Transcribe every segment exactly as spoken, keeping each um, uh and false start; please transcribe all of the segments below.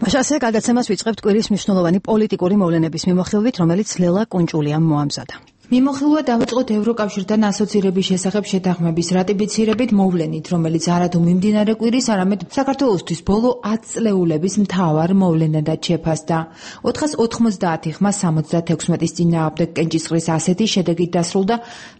მაშასე გადაცემას ვიწყებთ კვირის მნიშვნელოვანი პოლიტიკური მოვლენების მიმოხილვით, რომელიც ლელა კუნჭულიამ მოამზადა. მიმოხილვა დავიწყოთ ევროკავშირთან ასოცირების შესახებ შეთანხმების რატიფიცირებით მოვლენით, რომელიც არადუ მიმდინარე კვირის, არამედ საქართველოსთვის ბოლო ათი წლეულების მთავარ მოვლენადაც შეფასდა. ოთხას ოთხმოცდაათი ხმა სამოცდათექვსმეტის წინააღმდეგ კენჭისყრის ასეთი შედეგით დასრულდა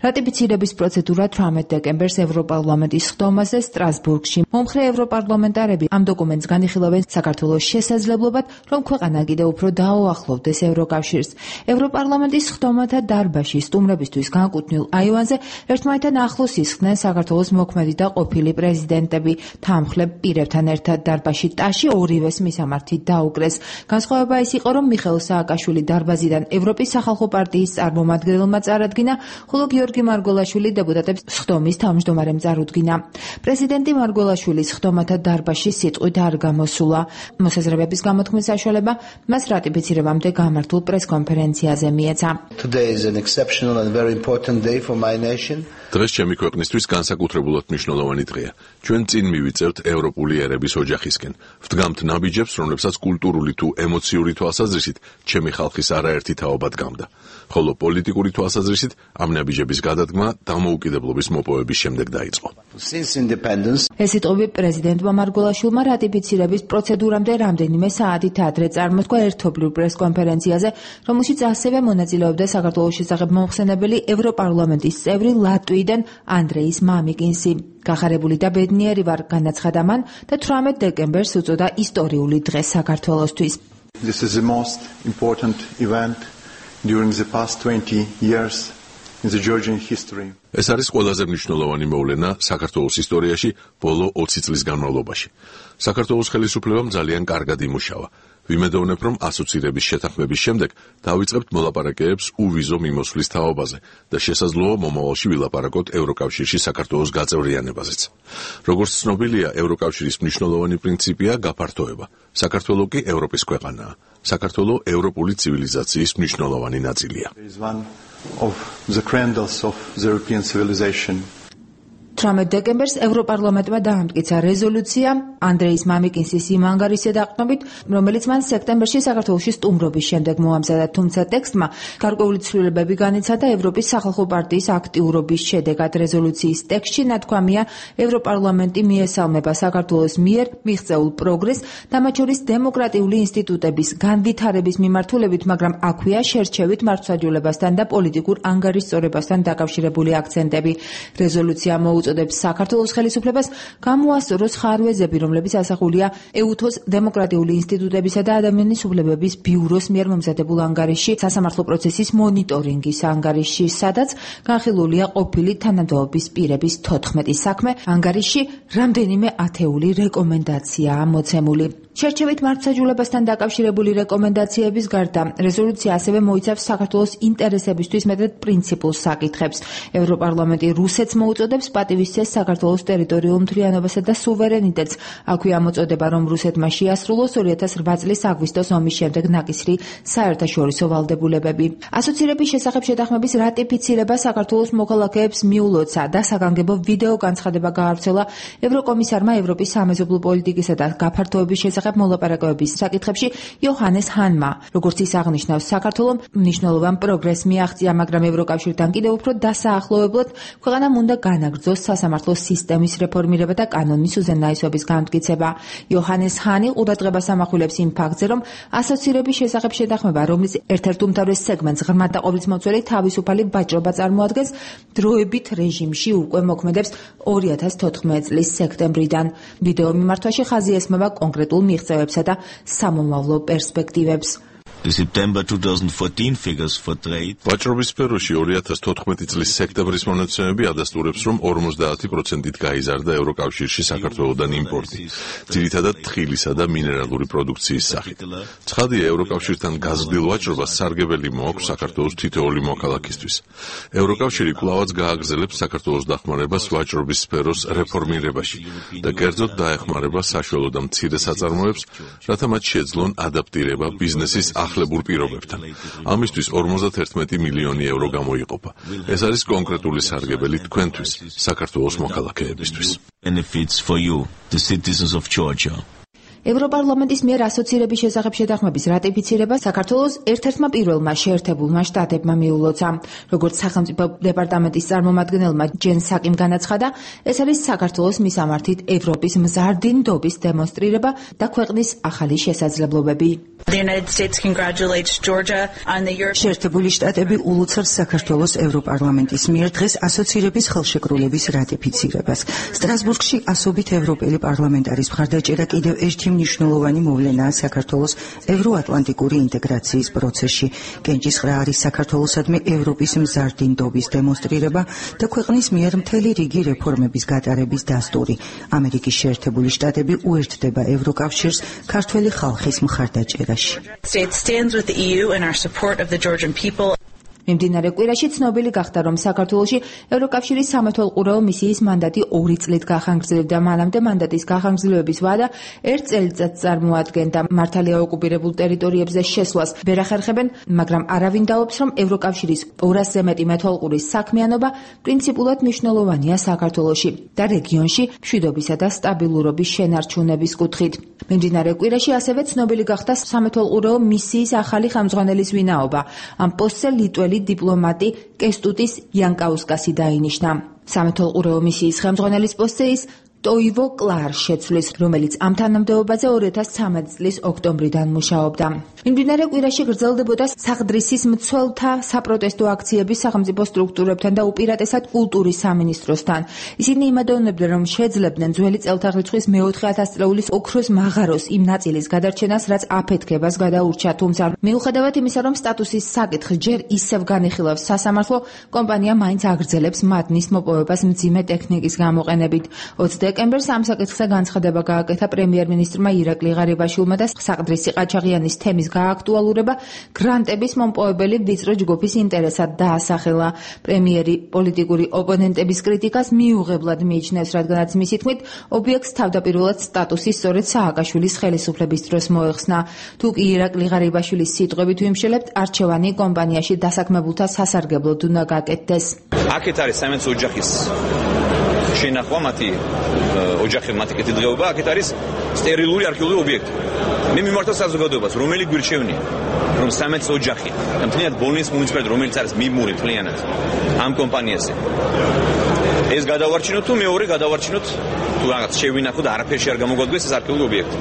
რატიფიცირების პროცედურა თვრამეტ დეკემბერს ევროპარლამენტის ხდომაზე სტრასბურგში. მომხრე ევროპარლამენტარები ამ დოკუმენტს განიხილავენ საქართველოს შესაძლებლობად, რომ ქვეყანა კიდევ უფრო დაუახლოვდეს ევროკავშირს. ევროპარლამენტის ხდომათა დარბაზში სტუმრებისთვის განკუთვნილ აივანზე ერთმანეთთან ახლოს ისხდნენ საქართველოს მოქმედი და ყოფილი პრეზიდენტები. თანმხლებ პირებთან ერთად დარბაზში ტაში ორივეს მისამართი დაუკრეს. განსხვავება ის იყო, რომ მიხეილ სააკაშვილი დარბაზიდან ევროპის სახალხო პარტიის წარმომადგენელმა წარადგინა, ხოლო გიორგი მარგველაშვილი დეპუტატებს სხდომის თავმჯდომარემ წარუდგინა. პრეზიდენტი მარგველაშვილის სხდომათა დარბაზში სიტყვით არ გამოსულა. მოსაზრებების გამოთქმის საშუალება მას რატიფიცირებამდე გამართულ პრესკონფერენციაზე მიეცა. And very important day for my nation. დღეს ჩემი ქვეყნისთვის განსაკუთრებულად მნიშვნელოვანი დღეა. ჩვენ წინ მივიწევთ ევროპული ერების ოჯახისკენ. ვდგამთ ნაბიჯებს, რომლებსაც კულტურული თუ ემოციური თვალსაზრისით ჩემი ხალხის არაერთი თაობა დგამდა. ხოლო პოლიტიკური თვალსაზრისით ამ ნაბიჯების გადადგმა დამოუკიდებლობის მოპოვების შემდეგ დაიწყო. ეს სიტყვები პრეზიდენტმა მარგველაშვილმა რატიფიცირების პროცედურამდე რამდენიმე საათით ადრე წარმოთქვა ერთობლივ პრესკონფერენციაზე, რომელშიც ასევე მონაწილეობდა საქართველოს შესახებ მომხსენებელი ევროპარლამენტის წევრი ლატვიიდან ანდრეის მამიკინსი. გახარებული და ბედნიერი ვარ, განაცხადა მან და თვრამეტ დეკემბერს უწოდა ისტორიული დღე საქართველოსთვის. This is the most important event during the past twenty years in the Georgian history. ეს არის ყველაზე მნიშვნელოვანი მოვლენა საქართველოს ისტორიაში ბოლო ოცი წლის განმავლობაში. საქართველოს ხელისუფლებამ ძალიან კარგად იმუშავა. ვიმედოვნებ, რომ ასოცირების შეთანხმების შემდეგ დავიწყებთ მოლაპარაკებებს უვიზო მიმოსვლის თაობაზე და შესაძლოა მომავალში ვილაპარაკოთ ევროკავშირში საქართველოს გაწევრიანებაზეც. როგორც ცნობილია, ევროკავშირის მნიშვნელოვანი პრინციპია გაფართოება. საქართველო კი ევროპის ქვეყანაა. საქართველო ევროპული ცივილიზაციის მნიშვნელოვანი ნაწილია. Of the cradles of the European civilization. თვრამეტ დეკემბერს ევროპარლამენტმა დაამტკიცა რეზოლუცია ანდრეის მამიკინსის იმ ანგარიშზე დაყრდნობით, რომელიც მან სექტემბერში საქართველოში სტუმრობის შემდეგ მოამზადა, თუმცა ტექსტმა გარკვეული ცვლილებები განიცადა ევროპის სახალხო პარტიის აქტიურობის შედეგად. რეზოლუციის ტექსტში ნათქვამია, ევროპარლამენტი მიესალმება საქართველოს მიერ მიღწეულ პროგრესს და მათ შორის დემოკრატიული ინსტიტუტების განვითარების მიმართულებით, მაგრამ აქვეა შერჩევით მართლმსაჯულებასთან და პოლიტიკურ ანგარიშწორებასთან დაკავშირებული აქცენტები. რეზოლუცია უწოდებს საქართველოს ხელისუფლებას გამოასწოროს ხარვეზები, რომლებიც ასახულია ეუთოს დემოკრატიული ინსტიტუტებისა და ადამიანის უფლებების ბიუროს მიერ მომზადებულ ანგარიშში, სასამართლო პროცესის მონიტორინგის ანგარიშში, სადაც განხილულია ყოფილი თანამდებობის პირების თოთხმეტი საქმე. ანგარიშში რამდენიმე ათეული რეკომენდაციაა მოცემული. შერჩევით მართლმსაჯულებასთან დაკავშირებული რეკომენდაციების გარდა, რეზოლუცია ასევე მოიცავს საქართველოს ინტერესებისთვის მეტად პრინციპულ საკითხებს. ევროპარლამენტი რუსეთს მოუწოდებს პატივისცეს საქართველოს ტერიტორიულ მთლიანობასა და სუვერენიტეტს. აქვეა მოწოდება, რომ რუსეთმა შეასრულოს ორი ათას რვა წლის აგვისტოს ომის შემდეგ ნაკისრი საერთაშორისო ვალდებულებები. ასოცირების შესახებ შეთანხმების რატიფიცირება საქართველოს მოქალაქეებს მიულოცა და საგანგებო ვიდეო განცხადება გაავრცელა ევროკომისარმა ევროპის სამეზობლო პოლიტიკისა და გაფართოების შესახებ მოლაპარაკებების საკითხებში იოჰანეს ჰანმა. როგორც ის აღნიშნავს, საქართველომ მნიშვნელოვან პროგრესს მიაღწია, მაგრამ ევროკავშირთან კიდევ უფრო დასაახლოებლად ქვეყანამ უნდა განაგრძოს სასამართლო სისტემის რეფორმირება და კანონის უზენაესობის განმტკიცება. იოჰანეს ჰანი ყურადღებას ამახვილებს იმ ფაქტზე, რომ ასოცირების შესახებ შეთანხმება, რომლის ერთ-ერთ უმთავრეს სეგმენტს ღრმად და ყოვლისმომცველი თავისუფალი ვაჭრობა წარმოადგენს, დროებით რეჟიმში უკვე მოქმედებს ორი ათას თოთხმეტი წლის სექტემბრიდან. ვიდეო მიმართვაში ხაზი ესმება კონკრეტულ მიღწევებსა და სამომავლო პერსპექტივებს. ვაჭრობის სფეროში ორი ათას თოთხმეტი წლის სექტემბრის მონაცემები ადასტურებს, რომ ორმოცდაათი პროცენტით გაიზარდა ევროკავშირში საქართველოდან იმპორტი, ძირითადად თხილისა და მინერალური პროდუქციის სახით. ცხადია, ევროკავშირთან გაზრდილ ვაჭრობას სარგებელი მოაქვს საქართველოს თითოეული მოქალაქისთვის. ევროკავშირი კვლავაც გააგრძელებს საქართველოს დახმარებას ვაჭრობის სფეროს რეფორმირებაში და კერძოდ დაეხმარება საშუალო და მცირე საწარმოებს, რათა მათ შეძლონ ადაპტირება ბიზნესის ახლებურ პირობებთან. ამისთვის ორმოცდაერთი მილიონი ევრო გამოიყოფა. ეს არის კონკრეტული სარგებელი თქვენთვის, საქართველოს მოქალაქეებისთვის. ევროპარლამენტის მიერ ასოცირების შესახებ შეთანხმების რატიფიცირება საქართველოს ერთ-ერთმა პირველმა შეერთებულმა შტატებმა მიულოცა. როგორც სახელმწიფო დეპარტამენტის წარმომადგენელმა ჯენ საკიმ განაცხადა, ეს არის საქართველოს მისამართით ევროპის მზარდი ნდობის დემონსტრირება და ქვეყნის ახალი შესაძლებლობები. შეერთებული შტატები ულოცავს საქართველოს ევროპარლამენტის მიერ დღეს ასოცირების ხელშეკრულების რატიფიცირებას. სტრასბურგში ასობით ევროპელი პარლამენტარის მხარდაჭერა კიდევ ერთი მნიშვნელოვანი მოვლენაა საქართველოს ევროატლანტიკური ინტეგრაციის პროცესში. კენჭისყრა არის საქართველოსადმი ევროპის მზარდი ნდობის დემონსტრირება და ქვეყნის მიერ მთელი რიგი რეფორმების გატარების დასტური. ამერიკის შეერთებული შტატები უერთდება ევროკავშირს ქართველი ხალხის მხარდაჭერაში. მიმდინარე კვირაში ცნობილი გახდა, რომ საქართველოში ევროკავშირის სამეთვალყურეო მისიის მანდატი ორი წლით გახანგრძლივდა. მანამდე მანდატის გახანგრძლივების ვადა ერთ წელიწადს წარმოადგენდა. მართალია ოკუპირებულ ტერიტორიებზე შესვლას ვერ ახერხებენ, მაგრამ არავინ დაობს, რომ ევროკავშირის ორასზე მეტი მეთვალყურის საქმიანობა პრინციპულად მნიშვნელოვანია საქართველოში და რეგიონში მშვიდობისა და სტაბილურობის შენარჩუნების კუთხით. მიმდინარე კვირაში ასევე ცნობილი გახდა სამეთვალყურეო მისიის ახალი ხელმძღვანელის ვინაობა. ამ პოსტზე ლიტველი დიპლომატი კესტუტის იანკაუსკასი დაინიშნა. სამეთვალყურეო მისიის ხელმძღვანელის პოსტზე ის ტოივო კლარ შეცვლის, რომელიც ამ თანამდებობაზე ორი ათას ცხრამეტი წლის ოქტომბრიდან მუშაობდა. მიმდინარე კვირაში გრძელდებოდა საღდრისის მცველთა საპროტესტო აქციები სახელმწიფო სტრუქტურებთან და უპირატესად კულტურის სამინისტროსთან. ისინი იმედოვნებდნენ, რომ შეძლებდნენ ძველი წელთაღრიცხვის მეოთხე ათასწლეულის ოქროს მაღაროს იმ ნაწილის გადარჩენას, რაც აფეთქებას გადაურჩა. თუმცა მიუხედავად იმისა, რომ სტატუსის საკითხი ჯერ ისევ განიხილავს სასამართლო, კომპანია მაინც აგრძელებს მადნის მოპოვებას მძიმე ტექნიკის გამოყენებით. დეკემბერს ამ საკითხზე განცხადება გააკეთა პრემიერ-მინისტრმა ირაკლი ღარიბაშვილმა და საყდრისი ყაჩაღიანის თემის გააქტუალურება გრანტების მომპოვებელი ვიწრო ჯგუფის ინტერესად დაასახელა. პრემიერი პოლიტიკური ოპონენტების კრიტიკას მიუღებლად მიიჩნევს, რადგანაც მისი თქმით, ობიექტს თავდაპირველად სტატუსი სწორედ სააკაშვილის ხელისუფლების დროს მოეხსნა. თუ კი ირაკლი ღარიბაშვილის სიტყვებით ვიმშელებთ, არჩევანი კომპანიაში დასაქმებულთა სასარგებლოდ უნდა გაკეთდეს. აქეთ არის საიმედო ოჯახის შენახვა მათი ოჯახი მათი კეთილდღეობა, აქეთ არის სტერილური არქეოლოგიური ობიექტი. მე მიმართავ საზოგადოებას, რომელი გვირჩევნია, რომ საიმედო ოჯახი და მთლიანად ბოლნიის მუნიციპალიტეტი, რომელიც არის მიმური მთლიანად ამ კომპანიაზე, ეს გადავარჩინოთ თუ მეორე გადავარჩინოთ თუ რაღაც შევინახოთ, არაფერში არ გამოგვადგეს ეს არქეოლოგიური ობიექტი.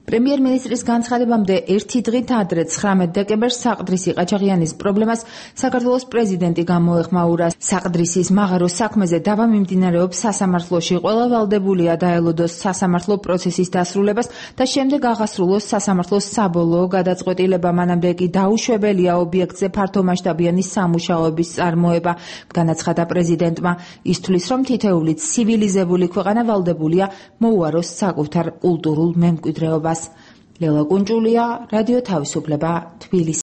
პრემიერ-მინისტრის განცხადებამდე ერთი დღით ადრე ცხრამეტი დეკემბერს საყდრისი ყაჩაღიანის პრობლემას საქართველოს პრეზიდენტი გამოეხმაურა. საყდრისის მაღაროს საქმეზე დავა მიმდინარეობს სასამართლოში. ყველა ვალდებულია დაელოდოს სასამართლო პროცესის დასრულებას და შემდეგ აღასრულოს სასამართლოს საბოლოო გადაწყვეტილება. მანამდე კი დაუშვებელია ობიექტზე ფართომასშტაბიანი სამუშაოების წარმოება. განაცხადა პრეზიდენტმა. ის თვლის, რომ თითოეული ცივილიზებული ქვეყანა ვალდებულია მოუაროს საკუთარ კულტურულ მემკვიდრეობას. ლელა კუნჭულია, რადიო თავისუფლება, თბილისი.